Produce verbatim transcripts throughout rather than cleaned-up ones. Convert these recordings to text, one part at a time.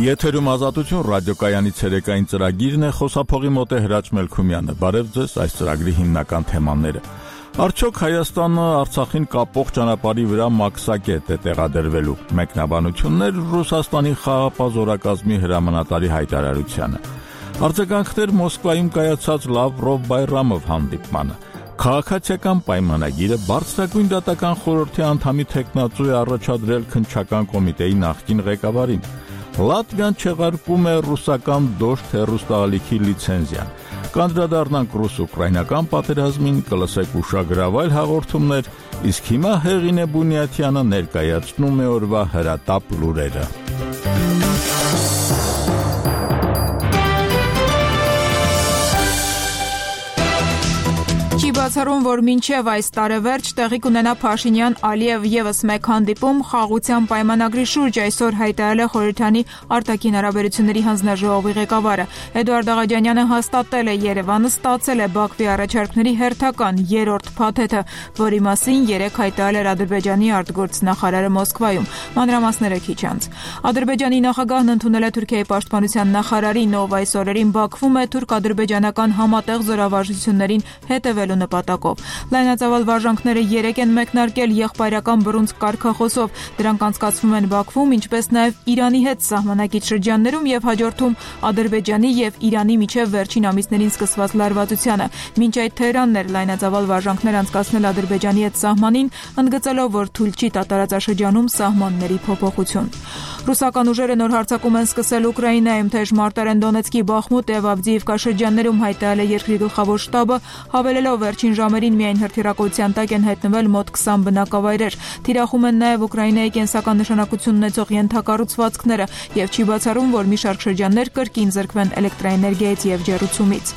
Եթերում ազատություն ռադիոկայանի ցերեկային ծրագիրն է, խոսափողի մոտ է Հրաչ Մելքումյանը։ Բարև ձեզ, այս ծրագրի հիմնական թեմաները։ Արդյոք Հայաստանը Արցախին կապող ճանապարհի վրա մաքսակետ է տեղադրվելու։ Մեկնաբանություններ Ռուսաստանի խաղաղապահ զորակազմի հրամանատարի հայտարարությանը։ Արձագանքներ Մոսկվայում կայացած Լավրով-Բայրամով հանդիպմանը։ Քաղաքացիական պայմանագիրը բարձրագույն դատական խորհրդի անդամի թեկնածու է առաջադրել քննչական կոմիտեի նախկին ղեկավարին։ Լատվիան չեղարկում է ռուսական դոշտ հեռուստաալիքի լիցենզիան։ Կանդրադառնանք ռուս-ուկրաինական պատերազմին, կլսեք ուշագրավայր հաղորդումներ, իսկ հիմա Հեղինե Բունյաթյանը ներկայացնում է օրվա հրատապ լուրերը։ Բացառում, որ մինչև այս տարեվերջ տեղի կունենա Փաշինյան-Ալիև ևս մեկ հանդիպում խաղաղության պայմանագրի շուրջ, այսօր հայտարարել է Խորհրդանի արտաքին հարաբերությունների հանձնաժողովի ղեկավարը։ Էդուարդ Աղաջանյանը հաստատել է Երևանը ստացել է Բաքվի առաջարկների հերթական երրորդ փաթեթը, որի մասին երեկ հայտարարել էր Ադրբեջանի արտգործնախարարը Մոսկվայում։ Մանրամասները քիչ անց։ Ադրբեջանի նախագահն ընդունել է Թուրքիայի պաշտպանության նախարարին, ով այս օրերին Բաքվում է թուրք-ադրբեջանական համատեղ զորավարժություններին հետևելու նպատակով։ Լայնածավալ վարժանքները երեկ են մեկնարկել եղբայրական բռունցք կարգախոսով։ Դրանք անցկացվում են Բաքվում, ինչպես նաև Իրանի հետ սահմանակից շրջաններում եւ հաջորդում Ադրբեջանի եւ Իրանի միջև վերջին ամիսներին սկսված լարվածությանը։ Մինչ այդ Թեհրանն էր լայնածավալ վարժանքներ անցկացնել Ադրբեջանի հետ սահմանին, ընդգծելով, որ թույլ չի տա տարածաշրջանում սահմանների փոփոխություն։ Ռուսական ուժերը նոր հարձակում են սկսել Ուկրաինայում, թեժ մարտեր են Դոնեցկի, Բախմուտ եւ Ավդիիվկա շրջաններում, հայտարարել է երկրի գլխավոր շտաբը, հավելելով վերջին ժամերին միայն հրթիռակոծության տակ են հայտնվել մոտ քսան բնակավայրեր։ Թիրախում են նաև Ուկրաինայի կենսական նշանակություն ունեցող ենթակառուցվածքները եւ չի բացառում, որ մի շարք շրջաններ կրկին զրկվեն էլեկտրաէներգիայից եւ ջեռուցումից։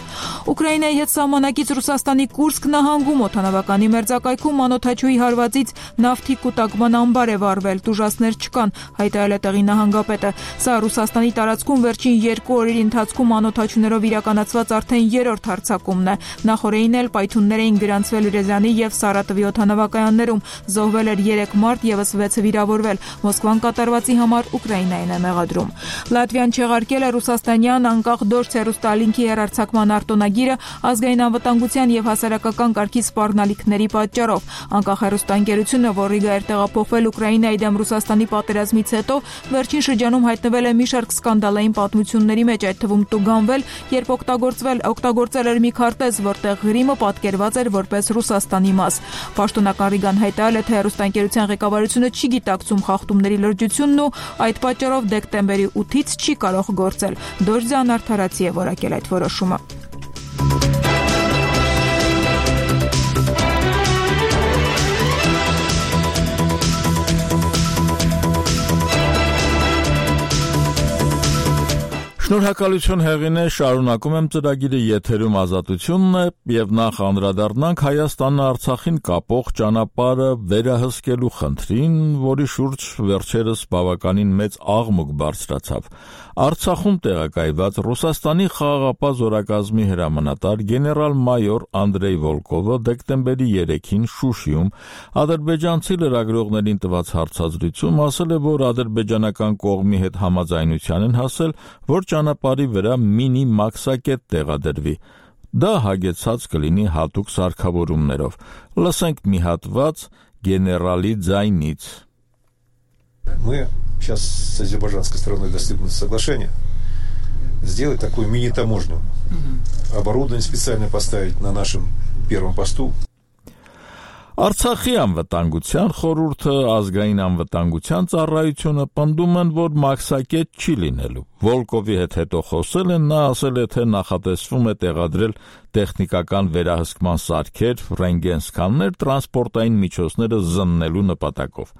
Ուկրաինայի հետ սահմանակից Ռուսաստանի Կուրսկ նահանգում օդանավականի մերձակայքում անօդաչուի հարվածից նավթի կուտակման ամբար է վառվել, տուժածներ չկան, հայտարարել է տեղի նահանգապետը։ Սա Ռուսաստանի տարածքում վերջին երկու օրերի ընթացքում անօդաչուներով իրականացված արդեն երրորդ հարձակումն է։ Նախորդին էլ պայթյուններ էին գրանցվել Ռեզանի եւ Սարատովի օդանավակայաններում, զոհվել էր երեք մարդ, եւս վեցը վիրավորվել։ Մոսկվան կատարվածի համար Ուկրաինային է մեղադրում։ Լատվիան չեղարկել է ռուսաստանյան անկախ դոշտ հեռուստաալինքի հեռարձակման արտոնագիրը ազգային անվտանգության եւ հասարակական կարգի սպառնալիքների պատճառով։ Անկախ հեռուստաընկերությունը, որ Ռիգա էր տեղափոխվել Ուկրաինայի դեմ Ռուսաստանի պատերազմից հետո, վերջին շրջանում հայտնվել է մի շարք սկանդալային պատմությունների մեջ, այդ թվում տուգանվել, երբ օգտագործվել օգտագործել էր մի քարտեզ, որտեղ Ղրիմը պատկերված էր որպես Ռուսաստանի մաս։ Պաշտոնական Ռիգան հայտարարել է, թե հեռուստաընկերության ղեկավարությունը չի գիտակցում խախտումների լրջությունն ու այդ պատճառով դեկտեմբերի ութից չի կարող գործել։ Դոժձյան արդարացի է որակել այդ որոշումը։ Շնորհակալություն Հեղինե, շարունակում եմ ծրագիրը, եթերում ազատությունն է եւ նախ անդրադառնանք Հայաստանը Արցախին կապող ճանապարհը վերահսկելու խնդրին, որի շուրջ վերջերս բավականին մեծ աղմուկ բարձրացավ։ Արցախում տեղակայված Ռուսաստանի խաղաղապահ զորակազմի հրամանատար գեներալ-մայոր Անդրեյ Վոլկովը դեկտեմբերի երեքին Շուշիում ադրբեջանցի լրագրողներին տված հարցազրույցում ասել է, որ ադրբեջանական կողմի հետ համաձայնության են հասել, որ ճանապարհի վրա մինի մաքսակետ տեղադրվի։ Դա հագեցած կլինի հատուկ սարքավորումներով։ Լսենք մի հատված գեներալի ձայնից։ Мы сейчас с азербайджанской стороной достигнут соглашения сделать такую мини-таможню, угу. Оборудование специально поставить на нашем первом посту. Արցախի անվտանգության խորհուրդը ազգային անվտանգության ծառայությունը պնդում են, որ մաքսակետ չի լինելու։ Վոլկովի հետ հետո խոսել են, նա ասել է, թե նախատեսվում է տեղադրել տեխնիկական վերահսկման սարքեր, ռենտգեն սկաներ, տրանսպորտային միջոցները զննելու նպատակով։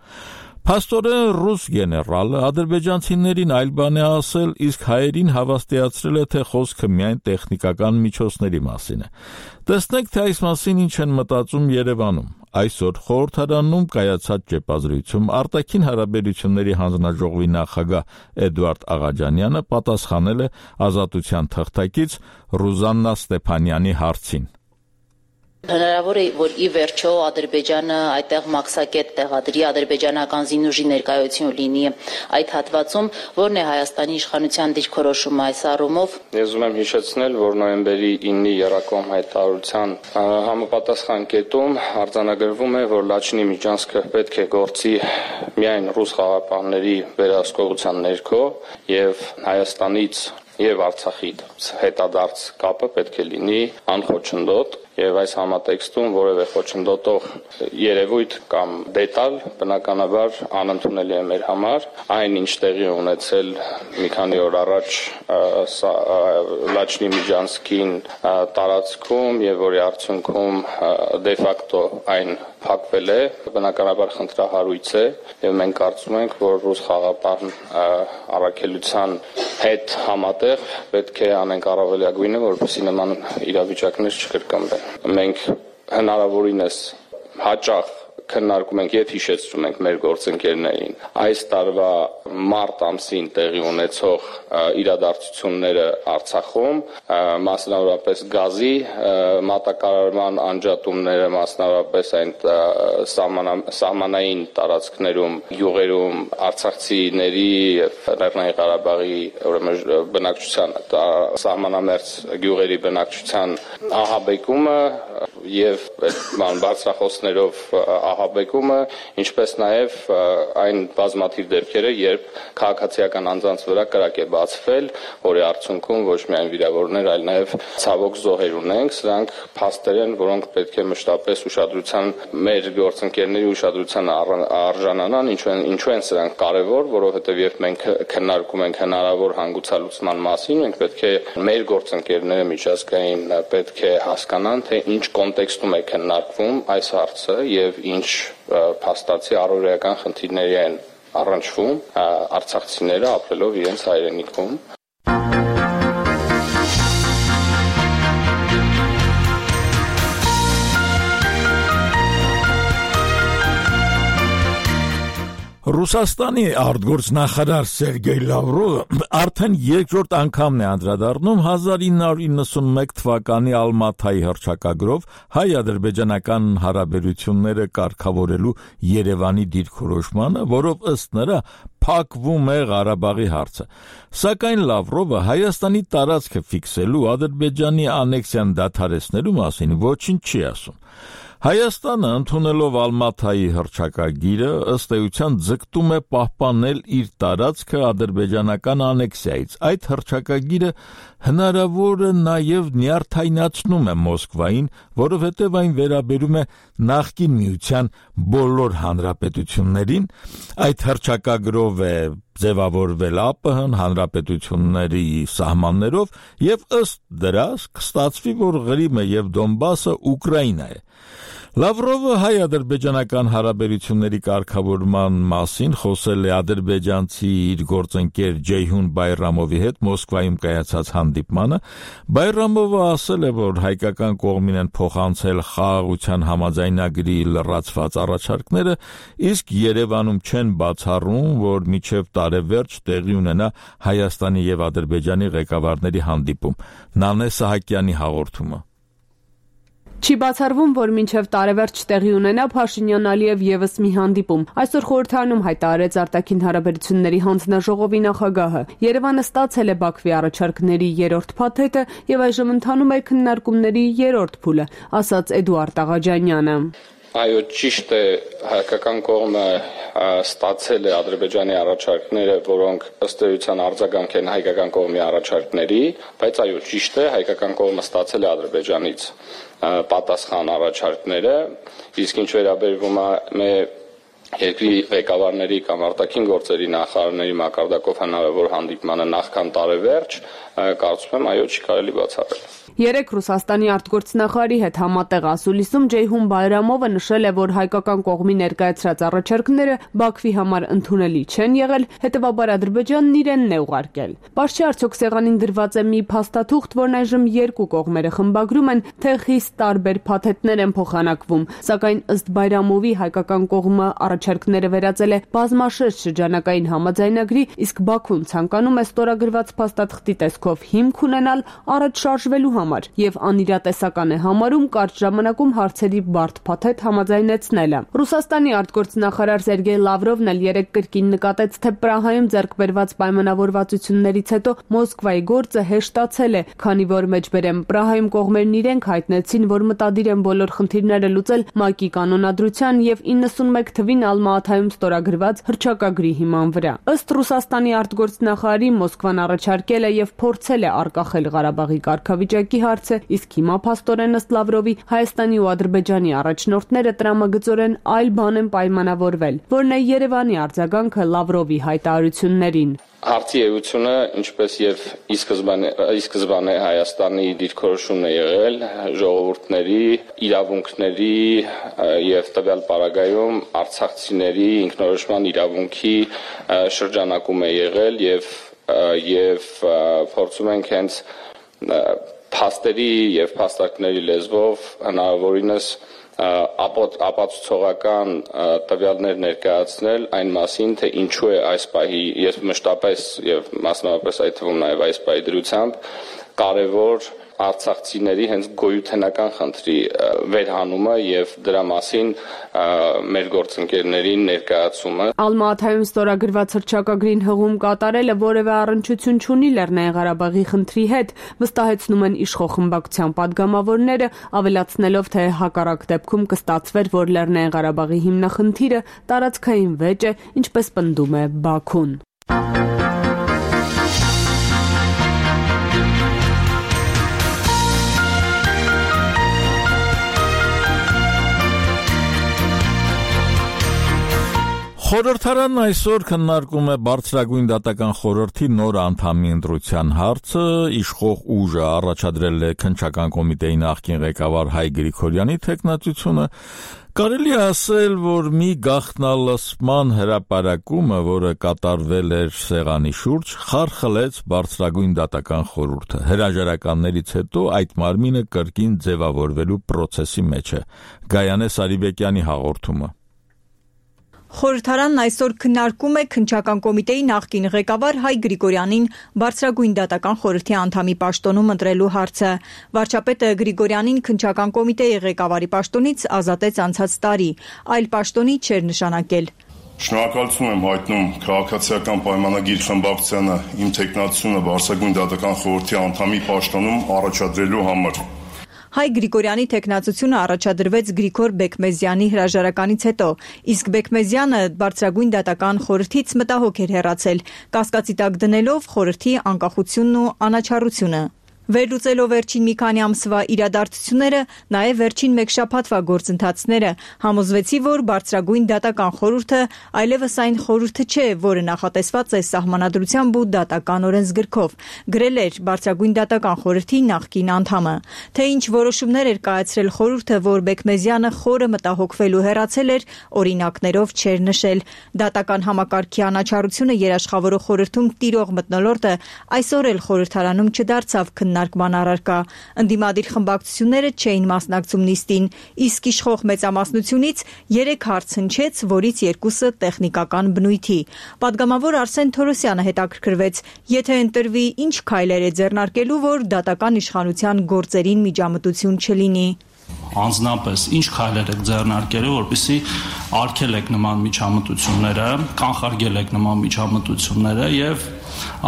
Փաստորեն ռուս գեներալը ադրբեջանցիներին այլ բան է ասել, իսկ հայերին հավաստիացրել է, թե խոսքը միայն տեխնիկական միջոցների մասին է։ Տեսնենք, թե այս մասին ինչ են մտածում Երևանում։ Այսօր խորհրդարանում կայացած ճեպազրույցում արտաքին հարաբերությունների հանձնաժողովի նախագահ Էդուարդ Աղաջանյանը պատասխանել է Ազատության թղթակից Ռուզաննա Ստեփանյանի հարցին։ Հնարավոր է, որ ի վերջո Ադրբեջանը այդտեղ մաքսակետ տեղադրի, ադրբեջանական զինուժի ներկայություն լինի այդ հատվածում, որն է Հայաստանի իշխանության դիրքորոշումը այս առումով։ Ես ուզում եմ հիշեցնել, որ նոյեմբերի ինը Երակոմ հայտարարության համապատասխան կետում արձանագրվում է, որ Լաչինի Միջանցքը պետք է գործի միայն ռուս խաղաղապահների վերահսկողության ներքո եւ Հայաստանից եւ Արցախի հետադարձ կապը պետք է լինի անխոչնդոտ եւ այս համատեքստում որևէ խոչընդոտող երևույթ կամ դետալ բնականաբար անընդունելի է մեր համար այն ինչ տեղի ունեցել մի քանի օր առաջ Լաչինի Միջանցքին տարածքում եւ որի արդյունքում դե ֆակտո այն փակվել է բնականաբար խնդրահարույց է եւ մենք կարծում ենք որ ռուս խաղաղապահ առաքելության հետ համատեղ պետք է անենք առավելագույնը որպեսզի նման իրավիճակներ չկրկնվեն մենք հնարավորինս հաճախ քննարկում ենք եւ հիշեցնում ենք մեր գործընկերներին այս տարվա մարտ ամսին տեղի ունեցող իրադարձությունները Արցախում մասնավորապես գազի մատակարարման անջատումները մասնավորապես այն սահմանային տարածքներում յուղերում արցախցիների եւ Լեռնային Ղարաբաղի ուրեմն բնակչության սահմանամերձ գյուղերի բնակչության ահաբեկումը եւ բարձրախոսներով ահաբեկումը, ինչպես նաև այն բազմաթիվ դեպքերը, երբ քաղաքացիական անձանց վրա կրակ է բացվել, որի արդյունքում ոչ միայն վիրավորներ, այլ նաև ցավոք զոհեր ունենք, սրանք փաստեր են, որոնք պետք է մշտապես ուշադրության մեր գործընկերների ուշադրության արժանանան, ինչու են ինչու են սրանք կարևոր, որովհետև երբ մենք քննարկում ենք հնարավոր հանգուցալուծման մասին, մենք պետք է մեր գործընկերները միջազգային պետք է հասկանան, թե ինչ կոնտեքստում է քննարկվում այս հարցը եւ ինչ փաստացի առօրեական խնդիրների են առնչվում արցախցիները ապրելով իրենց հայրենիքում Ռուսաստանի արտգործնախարար Սերգեյ Լավրովը արդեն երկրորդ անգամն է անդրադառնում հազար ինը հարյուր իննսունմեկ թվականի Ալմաթայի հռչակագրով հայ-ադրբեջանական հարաբերությունները կարգավորելու Երևանի դիրքորոշմանը, որով ըստ նրա փակվում է Ղարաբաղի հարցը։ Սակայն Լավրովը Հայաստանի տարածքը ֆիքսելու Ադրբեջանի անեքսիան դադարեցնելու մասին ոչինչ չի ասում։ Հայաստանը ընդունելով Ալմաթայի հռչակագիրը ըստ էության ձգտում է պահպանել իր տարածքը ադրբեջանական անեքսիայից։ Այդ հռչակագիրը հնարավոր է նաև նյարդայնացնում է Մոսկվային, որովհետև այն վերաբերում է նախկին միության բոլոր հանրապետություններին։ Այդ հռչակագրով է ձևավորվել ԱՊՀ-ն հանրապետությունների սահմաններով եւ ըստ դրա կստացվի, որ Ղրիմը եւ Դոնբասը Ուկրաինա է։ Լավրովը հայ-ադրբեջանական հարաբերությունների կարգավորման մասին խոսել է ադրբեջանցի իր գործընկեր Ջեյհուն Բայրամովի հետ Մոսկվայում կայացած հանդիպմանը։ Բայրամովը ասել է, որ հայկական կողմին են փոխանցել խաղաղության համաձայնագրի լրացված առաջարկները, իսկ Երևանում չեն բացառում, որ մինչև տարեվերջ տեղի ունենա Հայաստանի եւ Ադրբեջանի ղեկավարների հանդիպում։ Նանե Սահակյանի հաղորդումը։ Չի բացառվում, որ մինչև տարեվերջ տեղի ունենա Փաշինյան-Ալիև եւս մի հանդիպում։ Այսօր խորհրդարանում հայտարարեց արտաքին հարաբերությունների հանձնաժողովի նախագահը։ Երևանը ստացել է Բաքվի առաջարկների երրորդ փաթեթը եւ այժմ ընթանում է քննարկումների երրորդ փուլը, ասաց Էդուարդ Աղաջանյանը։ Այո, ճիշտ է, հայկական կողմը ստացել է Ադրբեջանի առաջարկները, որոնք ըստ էության արձագանք են հայկական կողմի առաջարկների, բայց այո, ճիշտ է, հայկական կողմը ստացել է Ադրբեջանից պատասխան առաջարկները, իսկ ինչ վերաբերվում է երկրի ղեկավարների կամ արտաքին գործերի նախարարների մակարդակով հնարավոր հանդիպմանը նախքան տարեվերջ, կարծում եմ, այո, չի կարելի բացառել։ Երեք Ռուսաստանի արտգործնախարարի հետ համատեղ ասուլիսում Ջեյհուն Բայրամովը նշել է, որ հայկական կողմի ներկայացրած առաջարկները Բաքվի համար ընդունելի չեն եղել, հետևաբար Ադրբեջանն իրենն է ուղարկել։ Պարզ չէ արդյոք սեղանին դրված է մի փաստաթուղթ, որն այժմ երկու կողմերը խմբագրում են, թե խիստ տարբեր փաթեթներ են փոխանակվում, սակայն ըստ Բայրամովի հայկական կողմը առաջարկները վերածել է բազմաշերտ շրջանակային համաձայնագրի, իսկ Բաքուն ցանկանում է ստորագրված փաստաթղթի տեսքով հիմք ունենալ առաջ շարժվելու համար եւ անիրատեսական է համարում կարճ ժամանակում հարցերի բարդ փաթեթ համաձայնեցնելը։ Ռուսաստանի արտգործնախարար Սերգեյ Լավրովն էլ երեկ կրկին նկատեց, թե Պրահայում ձեռք բերված պայմանավորվածություններից հետո Մոսկվայի գործը հեշտացել է, քանի որ մեջբերեմ Պրահայում կողմերն իրենք հայտնեցին, որ մտադիր են բոլոր խնդիրները լուծել ՄԱԿ-ի կանոնադրության եւ իննսունմեկ թվին Ալմա-Աթայում ստորագրված հռչակագրի հիման վրա։ Ըստ Ռուսաստանի արտգործնախարարի Մոսկվան առաջարկել է եւ փորձել է արգախել Ղարաբաղի կարգավիճակի հարցը, իսկ հիմա փաստորեն ըստ Լավրովի Հայաստանի ու Ադրբեջանի առաջնորդները տրամագծորեն այլ բան են պայմանավորվել, որն է Երևանի արձագանքը Լավրովի հայտարարություններին։ Հարցի էությունը, ինչպես եւ ի սկզբանե ի սկզբանե Հայաստանի դիրքորոշումն է եղել, ժողովուրդների իրավունքների եւ տվյալ պարագայում արցախցիների ինքնորոշման իրավունքի շրջանակում է եղել եւ եւ փորձում ենք հենց փաստերի եւ փաստարկների լեզվով հնարավորինս ապացուցողական տվյալներ ներկայացնել այն մասին, թե ինչու է այս պահի, ես մշտապես եւ մասնավորապես այդ թվում նաեւ այս պահի դրությամբ կարեւոր արցախցիների հենց գոյութենական խնդրի վերհանումը եւ դրա մասին մեր գործընկերներին ներկայացումը։ Ալմա-Աթայում ստորագրված հռչակագրին հղում կատարելը որևէ առնչություն չունի Լեռնային Ղարաբաղի խնդրի հետ, վստահեցնում են իշխող խմբակցության падգամավորները, ավելացնելով, թե հակառակ դեպքում կստացվեր, որ Լեռնային Ղարաբաղի հիմնախնդիրը տարածքային վեճ է, ինչպես պնդում է Բաքուն։ Խորհրդարանն այսօր քննարկում է Բարձրագույն դատական խորհրդի նոր անդամի ընտրության հարցը, իշխող ուժը առաջադրել է քննչական կոմիտեի նախկին ղեկավար Հայ Գրիգորյանի թեկնածությունը, կարելի է ասել, որ մի գաղտնալսման հրապարակումը, որը կատարվել էր սեղանի շուրջ, խարխլեց Բարձրագույն դատական խորհուրդը։ Հրաժարականներից հետո այդ մարմինը կրկին ձևավորվելու պրոցեսի մեջ է։ Գայանե Սարիբեկյանի հաղորդումը։ Խորհրդարանն այսօր քննարկում է քննչական կոմիտեի նախկին ղեկավար Հայ Գրիգորյանին Բարձրագույն դատական խորհրդի անդամի պաշտոնում ընտրելու հարցը։ Վարչապետը Գրիգորյանին քննչական կոմիտեի ղեկավարի պաշտոնից ազատեց անցած տարի, այլ պաշտոնի չէր նշանակել։ Շնորհակալություն եմ հայտնում քաղաքացիական պայմանագիր խմբակցությանը իմ թեկնածությունը Բարձրագույն դատական խորհրդի անդամի պաշտոնում առաջադրելու համար։ Հայ Գրիգորյանի թեկնածությունը առաջադրվեց Գրիգոր Բեկմեզյանի հրաժարականից հետո, իսկ Բեկմեզյանը Բարձրագույն դատական խորհրդից մտահոգ էր հեռացել, կասկածի տակ դնելով խորհրդի անկախությունն ու անաչառությունը։ Վերլուծելով վերջին մի քանի ամսվա իրադարձությունները, նաև վերջին մեկ շաբաթվա գործընթացները, համոզվեցի, որ Բարձրագույն դատական խորհուրդը այլևս այն խորհուրդը չէ, որը նախատեսված է Սահմանադրությամբ ու դատական օրենսգրքով, գրել էր Բարձրագույն դատական խորհրդի նախկին անդամը։ Թե ինչ որոշումներ էր կայացրել խորհուրդը, որ Բեկմեզյանը խորը մտահոգվել ու հեռացել էր, օրինակներով չէր նշել։ Դատական համակարգի անաչառությունը երաշխավորող խորհրդում տիրող մթնոլորտը այսօր էլ խորհրդարանում չդարձավ քննարկման առարկա։ Ընդդիմադիր խմբակցությունները չէին մասնակցում նիստին, իսկ իշխող մեծամասնությունից երեք հարց հնչեց, որից երկուսը տեխնիկական բնույթի։ Պատգամավոր Արսեն Թորոսյանը հետաքրքրվեց, եթե ընտրվի, ինչ քայլեր է ձեռնարկելու, որ դատական իշխանության գործերին միջամտություն չլինի։ Անձնապես ինչ քայլեր եք ձեռնարկելու, որպեսզի արգելեք նման միջամտությունները, կանխարգելեք եք նման միջամտությունները եւ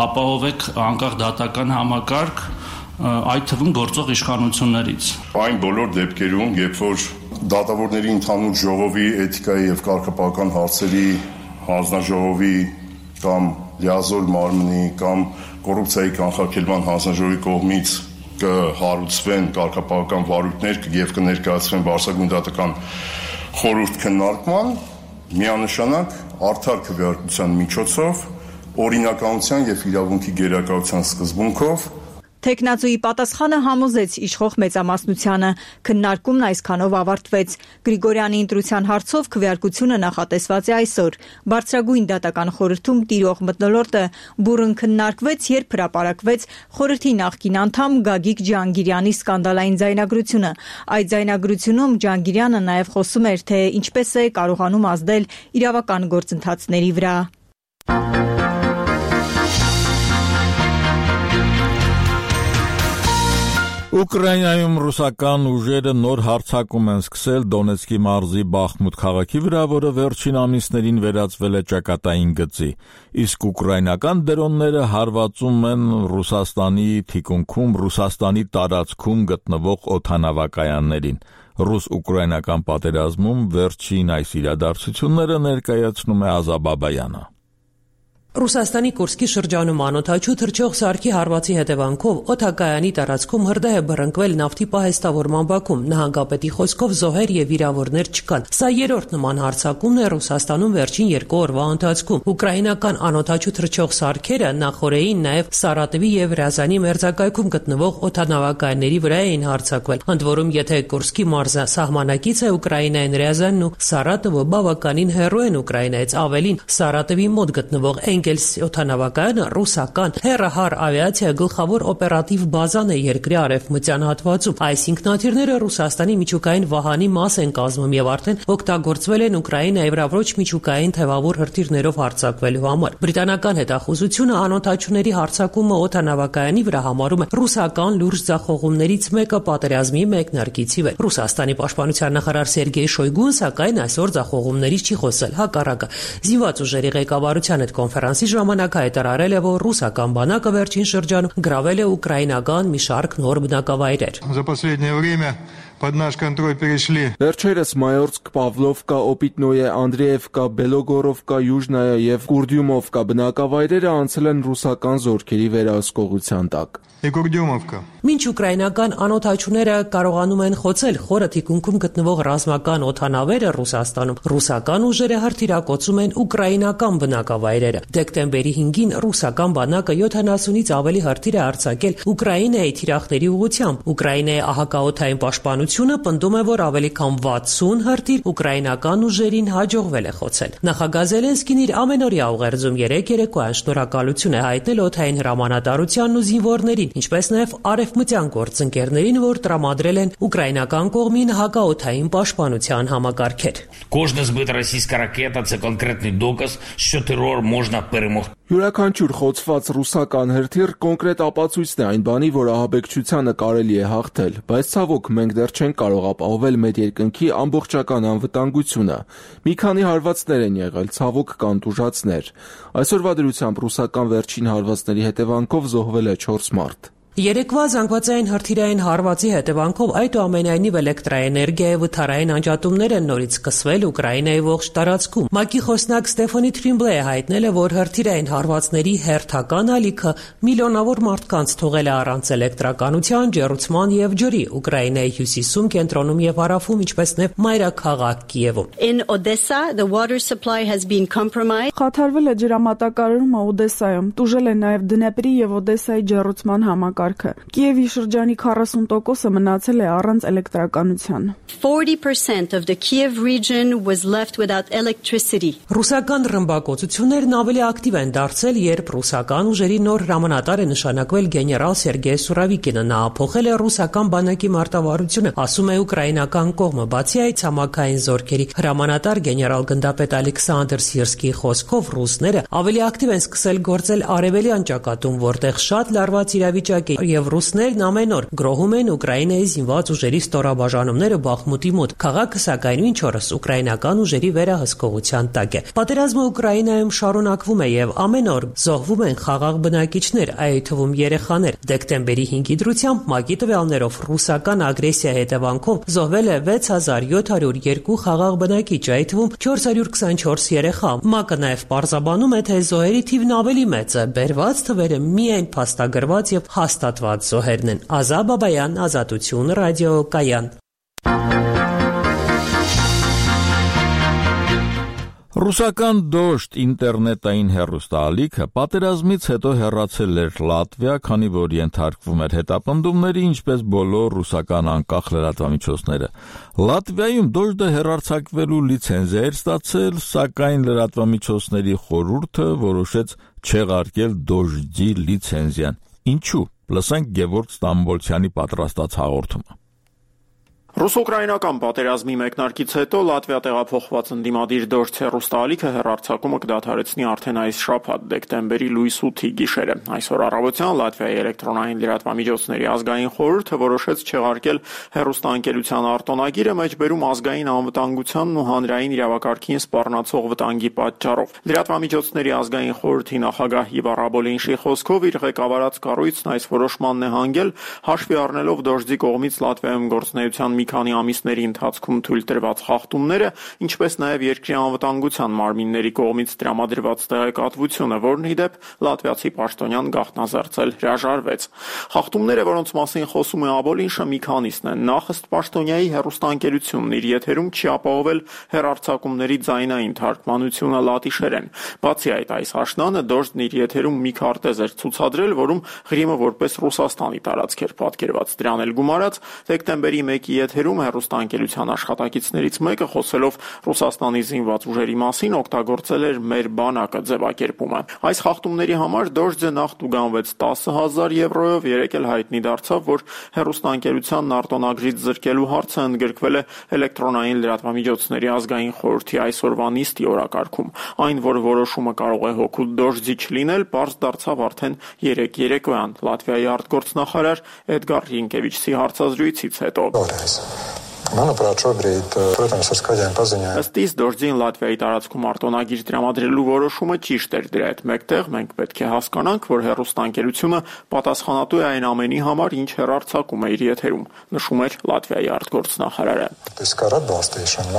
ապահովեք անկախ դատական համակարգ, այդ թվում գործող իշխանություններից։ Այն բոլոր դեպքերում, երբ որ դատավորների ընդհանուր ժողովի էթիկայի եւ կարգապահական հարցերի հանձնաժողովի կամ լիազոր մարմնի կամ կոռուպցիայի կանխարգելման հանձնաժողովի կողմից կհարուցվեն կարգապահական վարույթներ եւ կներկայացվեն Բարձրագույն դատական խորհուրդ քննարկման, միանշանակ արդար քվեարկության միջոցով օրինականության եւ իրավունքի գերակայության սկզբունքով Թեկնածուի պատասխանը համոզեց իշխող մեծամասնությանը։ Քննարկումն այսքանով ավարտվեց։ Գրիգորյանի ընտրության հարցով քվեարկությունը նախատեսված է այսօր։ Բարձրագույն դատական խորհրդում տիրող մթնոլորտը բուռն քննարկվեց, երբ հրապարակվեց խորհրդի նախկին անդամ Գագիկ Ջհանգիրյանի սկանդալային ձայնագրությունը։ Այդ ձայնագրությունում Ջհանգիրյանը նաև խոսում էր, թե ինչպես է կարողանում ազդել իրավական գործընթացների վրա։ Ուկրաինայում ռուսական ուժերը նոր հարձակում են սկսել Դոնեցկի մարզի Բախմուտ քաղաքի վրա, որը վերջին ամիսներին վերածվել է ճակատային գծի, իսկ ուկրաինական դրոնները հարվածում են Ռուսաստանի թիկունքում, Ռուսաստանի տարածքում գտնվող օդանավակայաններին։ Ռուս-ուկրաինական պատերազմում վերջին այս իրադարձությունները ներկայացնում է Ազա Բաբայանը։ Ռուսաստանի Կուրսկի շրջանում անօդաչու թռչող սարքի հարվածի հետևանքով օդակայանի տարածքում հրդեհ է բռնկվել նավթի պահեստավորման բակում։ Նահանգապետի խոսքով զոհեր եւ վիրավորներ չկան։ Սա երրորդ նման հարձակումն է Ռուսաստանում վերջին երկու օրվա ընթացքում։ Ուկրաինական անօդաչու թռչող սարքերը նախորդին նաեւ Սարատովի եւ Ռязանի մերձակայքում գտնվող օդանավակայանների վրա էին հարձակվել։ Ընդ որում, եթե Կուրսկի մարզը սահմանակից է Ուկրաինային, Ռязանն ու Սարատովը բավականին հեռու են Ուկրաինայից, ավելին Սարատովի մոտ գտնվող Էնգելս օդանավակայանը ռուսական հեռահար ավիացիա գլխավոր օպերատիվ բազան է երկրի արևմտյան հատվածում։ Այս ինքնաթիռները Ռուսաստանի միջուկային վահանի մաս են կազմում եւ արդեն օգտագործվել են Ուկրաինայի վրա ոչ միջուկային թևավոր հրթիռներով հարձակվելու համար։ Բրիտանական հետախուզությունը անօդաչուների հարձակումը օդանավակայանի վրա համարում է ռուսական լուրջ ձախողումներից մեկը պատերազմի մեկնարկից ի վեր։ Ռուսաստանի պաշտպանության նախարար Սերգեյ Շոյգուն սակայն այսօր ձախողումներից չի խոսել, հակառակը զինված ուժերի ղեկավարության հետ կոնֆերանսի ժամանակ հայտարարել է, որ ռուսական բանակը վերջին շրջանում գրավել է ուկրաինական մի շարք նոր բնակավայրեր։ За последнее время под наш контроль перешли. Վերջերս Մայորսկ, Պավլովկա, Օպիտնոյե, Անդրեևկա, Բելոգորովկա, Յուժնայա եւ Կուրդյումովկա բնակավայրերը անցել են ռուսական զորքերի վերահսկողության տակ։ Մինչ ուկրաինական անօդաչուները կարողանում են խոցել խորը թիկունքում գտնվող ռազմական օդանավերը Ռուսաստանում, ռուսական ուժերը հրթիռակոծում են ուկրաինական բնակավայրերը։ Դեկտեմբերի հինգին ռուսական բանակը յոթանասունից ավելի հրթիռ է արձակել Ուկրաինայի թիրախների ուղղությամբ։ Ուկրաինայի ահակաօդային պաշտպանությունը պնդում է, որ ավելի քան վաթսուն հրթիռ ուկրաինական ուժերին հաջողվել է խոցել։ Նախագահ Զելենսկին իր ամենօրյա ուղերձում երեկ երեկոյան շնորհակալություն է հայտնել օդային հրամանատարությանն ու զինվորներին, ինչպես նաև արևմտյան գործընկերներին, որ տրամադրել են ուկրաինական կողմին հակաօդային պաշտպանության համակարգեր։ Кожна збита російська ракета – це конкретний доказ, що терор можна перемогти. Յուրաքանչյուր խոցված ռուսական հրթիռ կոնկրետ ապացույցն է այն բանի, որ ահաբեկչությանը կարելի է հաղթել, բայց ցավոք մենք դեռ չենք կարող ապահովել մեր երկնքի ամբողջական անվտանգությունը։ Մի քանի հարվածներ են եղել, ցավոք կան տուժածներ։ Այսօրվա դրությամբ ռուսական վերջին հարվածների հետևանքով զոհվել է չորս մարդ։ Երեկվա զանգվածային հրթիռային հարվածի հետևանքով այդուամենայնիվ էլեկտրաէներգիայի վթարային անջատումներ են նորից սկսվել Ուկրաինայի ողջ տարածքում։ ՄԱԿ-ի խոսնակ Ստեֆանի Թրիմբլեը հայտնել է, որ հրթիռային հարվածների հերթական ալիքը միլիոնավոր մարդկանց թողել է առանց էլեկտրականության, ջեռուցման եւ ջրի Ուկրաինայի հյուսիսում, կենտրոնում եւ հարավում, ինչպես նաեւ մայրաքաղաք Կիևում։ In Odessa, the water supply has been compromised. Խաթարվել է ջրամատակարարումը Օդեսայում, տուժել է նաեւ Դնեպրի եւ Օդեսայի ջեռուցման համակարգը։ Կիևի շրջանի քառասուն տոկոսը մնացել է առանց էլեկտրականության։ forty percent of the Kiev region was left without electricity. Ռուսական ռմբակոծություններն ավելի ակտիվ են դարձել, երբ ռուսական ուժերի նոր հրամանատար է նշանակվել գեներալ Սերգեյ Սուրավիկինը։ Նա փոխել է ռուսական բանակի մարտավարությունը, ասում է ուկրաինական կողմը։ Բացի այդ, ցամաքային զորքերի հրամանատար գեներալ գնդապետ Ալեքսանդր Սիրսկիի խոսքով ռուսները ավելի ակտիվ են սկսել գործել արևելյան ճակատում, որտեղ շատ լարված իրավիճակ է, եւ ռուսներն ամեն օր գրոհում են Ուկրաինայի զինված ուժերի ստորաբաժանումները Բախմուտի մոտ։ Քաղաքը սակայն ինչ օրս ուկրաինական ուժերի վերահսկողության տակ է։ Պատերազմը Ուկրաինայում շարունակվում է եւ ամեն օր զոհվում են խաղաղ բնակիչներ, այդ թվում երեխաներ։ Դեկտեմբերի հինգի դրությամբ ՄԱԿ-ի տվյալներով ռուսական ագրեսիա հետևանքով զոհվել է վեց հազար յոթ հարյուր երկու խաղաղ բնակիչ, այդ թվում չորս հարյուր քսանչորս երեխա։ ՄԱԿ-ը նաեւ պարզաբանում է, թե զոհերի թիվն ավելի մեծ է։ Բերված թվերը միայն փաստագրված եւ հաստատված զոհերն են։ Ազա Բաբայան, Ազատություն, ռադիոկայան։ Ռուսական դոշտ ինտերնետային հեռուստաալիքը պատերազմից հետո հեռացել էր Լատվիա, քանի որ ենթարկվում էր հետապնդումների, ինչպես բոլոր ռուսական անկախ լրատվամիջոցները։ Լատվիայում դոշտը հեռարձակվելու լիցենզիա էր ստացել, սակայն լրատվամիջոցների խորհուրդը որոշեց չեղարկել դոշտի լիցենզիան։ Ինչու՞։ Լսենք Գևորգ Ստամբոլցյանի պատրաստած հաղորդումը։ Ռուս-ուկրաինական պատերազմի մեկնարկից հետո Լատվիա տեղափոխված ընդդիմադիր դոշտ հեռուստաալիքը հեռարձակումը կդադարեցնի արդեն այս շաբաթ դեկտեմբերի լույս ութի գիշերը։ Այսօր առավոտյան Լատվիայի էլեկտրոնային լրատվամիջոցների ազգային խորհուրդը որոշեց չեղարկել հեռուստաընկերության արտոնագիրը մեջբերում ազգային անվտանգությանն ու հանրային իրավակարգին սպառնացող վտանգի պատճառով։ Լրատվամիջոցների ազգային խորհրդի նախագահ Իվար Աբոլինշի խոսքով իր ղեկավարած կառույցն այս որոշմանն է հանգել հաշվի առնելով դոշտի կողմից Լատվիայում գործունեության մի քանի ամիսների ընթացքում թույլ տրված խախտումները, ինչպես նաև երկրի անվտանգության մարմինների կողմից տրամադրված տեղեկատվությունը, որն ի դեպ լատվիացի պաշտոնյան գաղտնազարդել հրաժարվեց։ Խախտումները, որոնց մասին խոսում է Աբոլինշը, մի քանիսն են։ Նախ ըստ պաշտոնյայի հեռուստաընկերությունն իր եթերում չի ապահովել հեռարձակումների ձայնային թարգմանությունը լատիշերեն։ Բացի այդ, այս աշնանը դոշտն իր եթերում մի քարտեզ էր ցուցադրել, որում Ղրիմը որպես Ռուսաստանի տարածք էր պատկերված։ Դրան էլ գումարած դեկտեմբերի մեկի եթերում հեռուստաընկերության աշխատակիցներից մեկը խոսելով Ռուսաստանի զինված ուժերի մասին օգտագործել էր «մեր բանակը» ձևակերպումը։ Այս խախտումների համար դոշտը նախ տուգանվեց տասը հազար եվրոյով, երեկ էլ հայտնի դարձավ, որ հեռուստաընկերությանն արտոնագրից զրկելու հարցը ընդգրկվել է էլեկտրոնային լրատվամիջոցների ազգային խորհրդի այսօրվա նիստի օրակարգում։ Այն, որ որոշումը կարող է հօգուտ դոշտի չլինել, պարզ դարձավ արդեն երեկ երեկոյան Լատվիայի արտգործնախարար Էդգար Ռինկևիչի հարցազրույցից հետո։ Manuprāt, šobrīd, protams, ar skaļiem paziņojumiem. Ըստ իս դոշտին Լատվիայի տարածքում արտոնագիր տրամադրելու որոշումը ճիշտ էր։ Դրա հետ մեկտեղ մենք պետք է հասկանանք, որ հեռուստաընկերությունը պատասխանատու է այն ամենի համար, ինչ հեռարձակում է իր եթերում, նշում էր Լատվիայի արտգործնախարարը։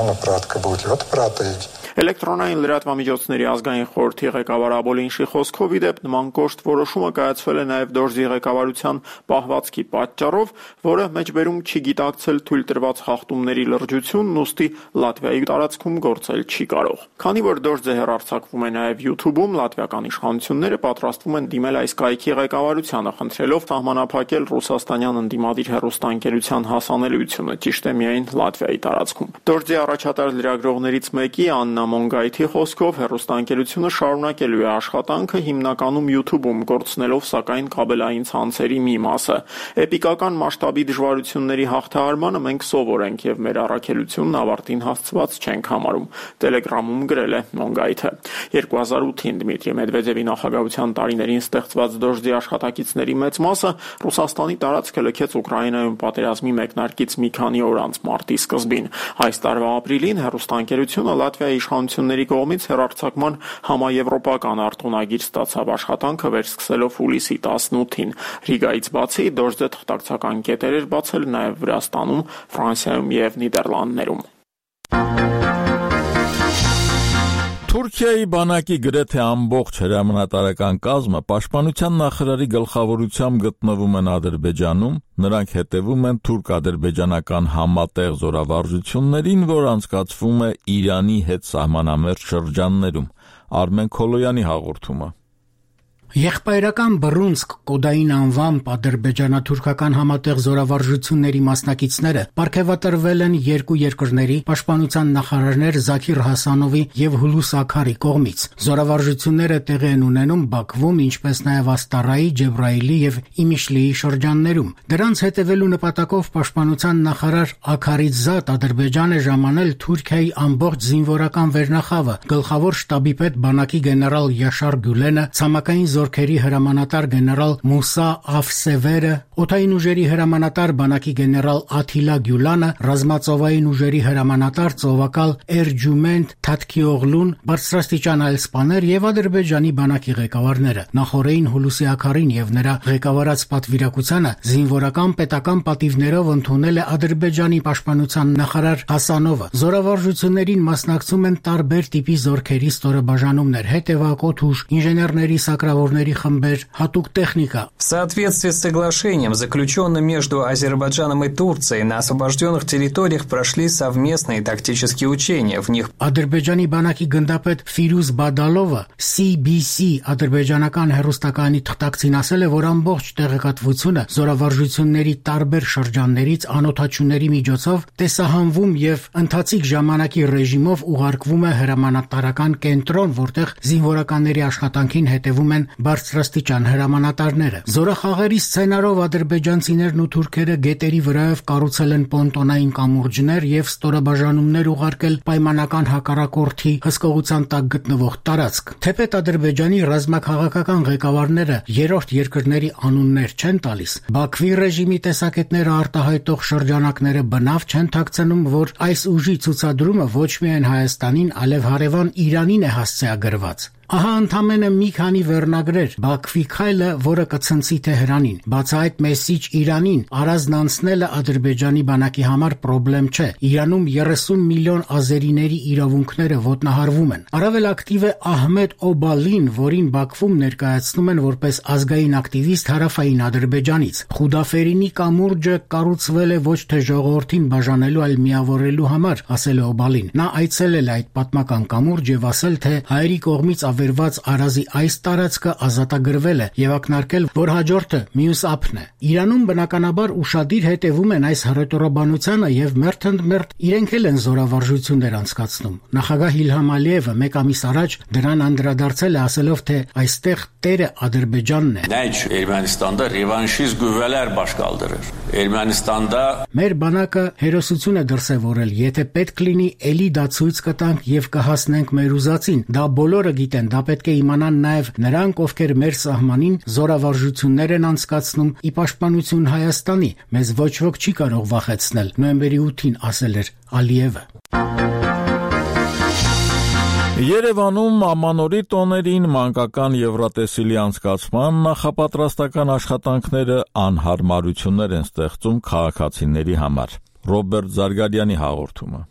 Manuprāt, ka būtu ļoti prātīgi. Էլեկտրոնային լրատվամիջոցների ազգային խորհրդի ղեկավար Աբոլինշի խոսքով ի դեպ նման կոշտ որոշումը կայացվել է նաև դոշտի ղեկավարության պահվածքի պատճառով, որը մեջբերում չի գիտակցել թույլ տրված խախտումների լրջությունն, ուստի Լատվիայի տարածքում գործել չի կարող։ Քանի որ դոշտը հեռարձակվում է նաև YouTube-ում, լատվիական իշխանությունները պատրաստվում են դիմել այս կայքի ղեկավարությանը, խնդրելով սահմանափակել ռուսաստանյան ընդդիմադիր հեռուստաընկերության հասանելիությունը, ճիշտ է միայն Լատվիայի տարածքում։ Դոշտի առաջատար լրագրողներից մեկի Աննա Մոնգայթի խոսքով հեռուստաընկերությունը շարունակելու է աշխատանքը հիմնականում YouTube-ում, գործնելով սակայն կաբելային ցանցերի մի մասը։ Էպիկական մասշտաբի դժվարությունների հաղթահարմանը մենք սովոր ենք եւ մեր առաքելությունն ավարտին հասցված չենք համարում, Telegram-ում գրել է Մոնգայթը։ երկու հազար ութին Դմիտրի Մեդվեդևի նախագահության տարիներին ստեղծված դոշտի աշխատակիցների մեծ մասը Ռուսաստանի տարածքը լքեց Ուկրաինայում պատերազմի մեկնարկից մի քանի օր անց մարտի սկզբին։ Այս տարվա ապրիլին հեռուստաընկերությունը Լատվիայի իշխանությունների կողմից հեռարձակման համաեվրոպական արտոնագիր ստացավ, աշխատանքը վերսկսելով հուլիսի տասնութին։ Ռիգայից բացի դոշտը թղթակցական կետեր էր բացել նաև Վրաստանում, Ֆրանսիայում եւ Նիդերլանդներում։ Թուրքիայի բանակի գրեթե ամբողջ հրամանատարական կազմը պաշտպանության նախարարի գլխավորությամբ գտնվում են Ադրբեջանում, նրանք հետևում են թուրք-ադրբեջանական համատեղ զորավարժություններին, որ անցկացվում է Իրանի հետ սահմանամերձ շրջաններում։ Արմեն Քոլոյանի հաղորդումը։ Եղբայրական Բռունցք կոդային անվամբ ադրբեջանա-թուրքական համատեղ զորավարժությունների մասնակիցները պարգևատրվել են երկու երկրների պաշտպանության նախարարներ Զաքիր Հասանովի եւ Հուլուս Աքարի կողմից։ Զորավարժությունները տեղի են ունենում Բաքվում, ինչպես նաեւ Աստարայի, Ջեբրայիլի եւ Իմիշլիի շրջաններում։ Դրանց հետևելու նպատակով պաշտպանության նախարար Աքարից զատ Ադրբեջան է ժամանել Թուրքիայի ամբողջ զինվորական վերնախավը, գլխավոր շտաբի պետ բանակի գեներալ Յաշար Գյուլենը, ցամաքային զորքերի հրամանատար գեներալ Մուսա Աֆսևերը, օդային ուժերի հրամանատար բանակի գեներալ Աթիլա Գյուլանը, ռազմածովային ուժերի հրամանատար ծովակալ Էրջումենտ Թաթքիօղլուն, բարձրաստիճան այլ սպաներ եւ Ադրբեջանի բանակի ղեկավարները։ Նախորդին Հուլուսի Աքարին եւ նրա ղեկավարած պատվիրակությանը զինվորական պետական պատիվներով ընդունել է Ադրբեջանի պաշտպանության նախարար Հասանովը։ Զորավարժություններին մասնակցում են տարբեր տիպի զորքերի ստորաբաժանումներ, հետևակոթ ուժ, ինժեներների սակրավոր վիրավորների խմբեր, հատուկ տեխնիկա։ В соответствии с соглашением, заключенным между Азербайджаном и Турцией, на освобожденных территориях прошли совместные тактические учения. В них Ադրբեջանի բանակի գնդապետ Ֆիրուզ Բադալովը C B C ադրբեջանական հեռուստակայանի թղթակցին ասել է, որ ամբողջ տեղեկատվությունը զորավարժությունների տարբեր շրջաններից անօթաչուների միջոցով տեսահանվում եւ ընթացիկ ժամանակի ռեժիմով ուղարկվում է հրամանատարական կենտրոն, որտեղ զինվորականների աշխատանքին հետևում են բարձրաստիճան հրամանատարները։ Զորախաղերի սցենարով ադրբեջանցիներն ու թուրքերը գետերի վրայով կառուցել են պոնտոնային կամուրջներ եւ ստորաբաժանումներ ուղարկել պայմանական հակառակորդի հսկողության տակ գտնվող տարածք։ Թեպետ Ադրբեջանի ռազմաքաղաքական ղեկավարները երրորդ երկրների անուններ չեն տալիս, Բաքվի ռեժիմի տեսակետները արտահայտող շրջանակները բնավ չեն թաքցնում, որ այս ուժի ցուցադրումը ոչ միայն Հայաստանին, այլև հարևան Իրանին է հասցեագրված։ Ահա ընդամենը մի քանի վերնագրեր, Բաքվի քայլը, որը կցնցի Թեհրանին, բաց այդ մեսիջ Իրանին, առանձն անցնելը Ադրբեջանի բանակի համար պրոբլեմ չէ։ Իրանում երեսուն միլիոն ազերիների իրավունքները ոտնահարվում են։ Առավել ակտիվ է Ահմեդ Օբալին, որին Բաքվում ներկայացնում են որպես ազգային ակտիվիստ հարավային Ադրբեջանից։ Խուդաֆերինի կամուրջը կառուցվել է ոչ թե ժողովրդին բաժանելու, այլ միավորելու համար, ասել է Օբալին։ Նա այցելել է այդ պատմական կամուրջ եւ ասել, թե հայերի կողմից վերված Արազի այս տարածքը ազատագրվել է եւ ակնարկել, որ հաջորդը մյուս ափն է։ Իրանում բնականաբար ուշադիր հետևում են այս հռետորաբանությանը եւ մերթընդմերթ իրենք էլ են զորավարժություններ անցկացնում։ Նախագահ Իլհամ Ալիևը մեկ ամիս առաջ դրան անդրադարձել է, ասելով, թե այստեղ տերը Ադրբեջանն է։ Նայ Էրմենստանდა ռևանշիզմ գուվելեր բաշկալդրեր։ Էրմենստանდა Մեր բանակը հերոսություն է դրսևորել, եթե պետք լինի, էլի դա ցույց կտանք եւ կհասնենք մեր ուզածին։ Դա բոլորը գիտեն, դա պետք է իմանան նաեւ նրանք, ովքեր մեր սահմանին զորավարժություններ են անցկացնում ի պաշտպանություն Հայաստանի։ Մեզ ոչ ոք չի կարող վախեցնել, նոյեմբերի ութին ասել էր Ալիևը։ Երևանում ամանորի տոներին մանկական Եվրատեսիլի անցկացման նախապատրաստական աշխատանքները անհարմարություններ են ստեղծում քաղաքացիների համար։ Ռոբերտ Զարգարյանի հաղորդումը։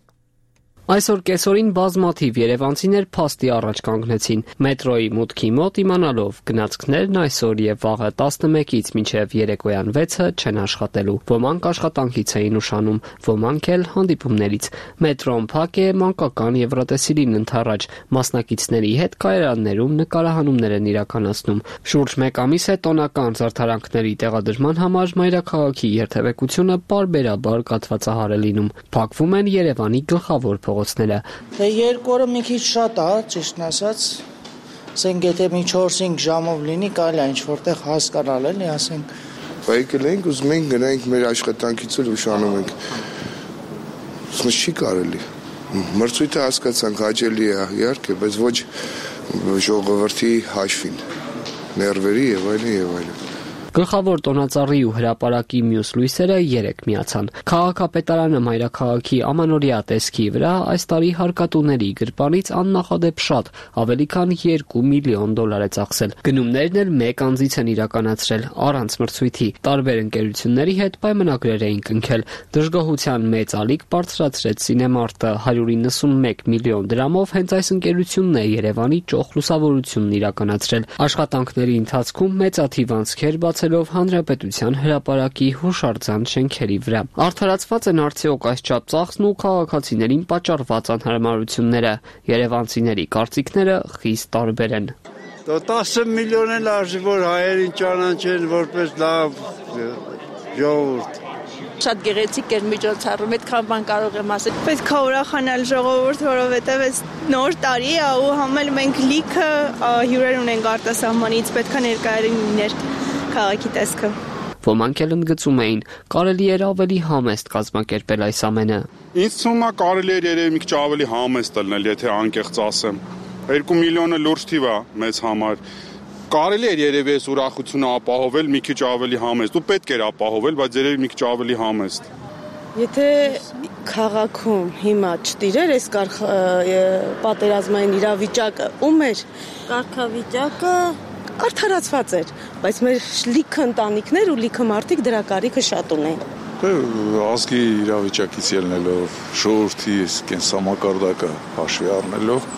Այսօր կեսօրին բազմաթիվ երևանցիներ փաստի առաջ կանգնեցին մետրոյի մուտքի մոտ իմանալով գնացքներն այսօր եւ վաղը տասնմեկից մինչեւ երեկոյան վեցը չեն աշխատելու։ Ոմանք աշխատանքից էին ուշանում, ոմանք էլ հանդիպումներից։ Մետրոն փակ է մանկական Եվրատեսիլին ընթառաջ, մասնակիցների հետ կայարաններում նկարահանումներ են իրականացնում։ Շուրջ մեկ ամիս է տոնական զարդարանքների տեղադրման համար մայրաքաղաքի երթևեկությունը պարբերաբար կաթվածահար է լինում։ Փակվում են Երևանի գլխավոր Դե երկու օրը մի քիչ շատ է, ճիշտն ասած, ասենք եթե մի չորս-հինգ ժամով լինի, կարելի է ինչ-որտեղ հասկանալ, էլի, ասենք։ Եկել ենք, ուզում ենք գնանք մեր աշխատանքից էլ ուշանում ենք։ Ուսմը չի կարելի։ Մրցույթը հասկացանք հաճելի է, իհարկե, բայց ոչ ժողովրդի հաշվին, ներվերի եւ այլն եւ այլն։ Գլխավոր տոնածառի ու հրապարակի մյուս լույսերը երեք միացան։ Քաղաքապետարանը մայրաքաղաքի ամանորյա տեսքի վրա այս տարի հարկատուների գրպանից աննախադեպ շատ, ավելի քան երկու միլիոն դոլար է ծախսել։ Գնումներն էլ մեկ անձից են իրականացրել առանց մրցույթի։ Տարբեր ընկերությունների հետ պայմանագրեր էին կնքել։ Դժգոհության մեծ ալիք բարձրացրեց Սինեմարտը հարյուր իննսունմեկ միլիոն դրամով հենց այս ընկերությունն է Երևանի ճոխ լուսավորությունն իրականացրել։ Աշխատանքների ընթացքում մեծաթիվ անցքեր բացելով հանրապետության հրապարակի հուշարձան շենքերի վրա։ Արդարացված են արդյոք այսչափ ծախսն ու քաղաքացիներին պատճառված անհարմարությունները։ Երևանցիների կարծիքները խիստ տարբեր են։ տասը միլիոն էլ արժի, որ հայերին ճանաչեն որպես լավ ժողովուրդ։ Շատ գեղեցիկ էր միջոցառում, այդքան բան կարող եմ ասել։ Պետք է ուրախանալ ժողովուրդ, որովհետև այս նոր տարի է ու համել մենք լիքը հյուրեր ունենք արտասահմանից, պետք է ներկայացնել լիներ քաղաքի տեսքը։ Ոմանք էլ ընդգծում էին, կարելի էր ավելի համեստ կազմակերպել այս ամենը։ Ինձ թվում է կարելի էր երևի մի քիչ ավելի համեստ լինել, եթե անկեղծ ասեմ։ Երկու միլիոնը լուրջ թիվ է մեզ համար։ Կարելի էր երևի այս ուրախությունը ապահովել մի քիչ ավելի համեստ։ Ու պետք էր ապահովել, բայց երևի մի քիչ ավելի համեստ։ Եթե քաղաքում հիմա չտիրեր այս պատերազմային իրավիճակը, ում էր կարգավիճակը արդարացված էր, բայց մեր լիքը ընտանիքներ ու լիքը մարդիկ դրա կարիքը շատ ունեն։ Ազգի իրավիճակից ելնելով, ժողովրդի կենսամակարդակը հաշվի առնելով,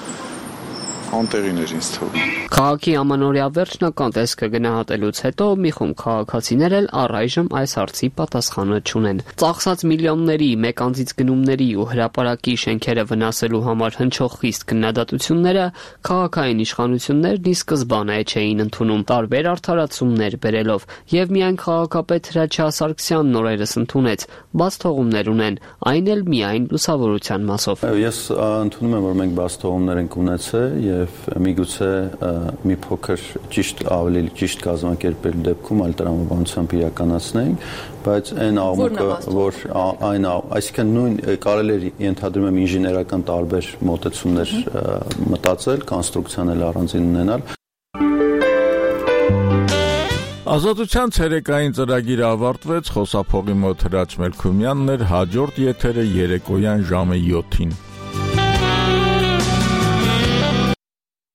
անտեղին էր ինձ թվում։ Քաղաքի ամանորյա վերջնական տեսքը գնահատելուց հետո մի խումբ քաղաքացիներ էլ առայժմ այս հարցի պատասխանը չունեն։ Ծախսած միլիոնների, մեկ անձից գնումների ու հրապարակի շենքերը վնասելու համար հնչող խիստ քննադատությունները քաղաքային իշխանություններն ի սկզբանե չէին ընդունում, տարբեր արդարացումներ բերելով, եւ միայն քաղաքապետ Հրաչյա Սարգսյանն օրերս ընդունեց, բաց թողումներ ունեն, այն էլ միայն լուսավորության մասով։ Ես ընդունում եմ, որ մենք բաց թողումներ ենք ունեցել եւ միգուցե մի փոքր ճիշտ ավելի ճիշտ կազմակերպել դեպքում այլ տրամաբանությամբ իրականացնենք, բայց այն աղմուկը, որ այն, այսինքն նույն կարելի է ենթադրում եմ ինժեներական տարբեր մոտեցումներ մտածել, կոնստրուկցիան էլ առանձին ունենալ։ Ազատության ցերեկային ծրագիրը ավարտվեց, խոսափողի մոտ Հրաչ Մելքումյանն էր, հաջորդ եթերը երեկոյան ժամը յոթին։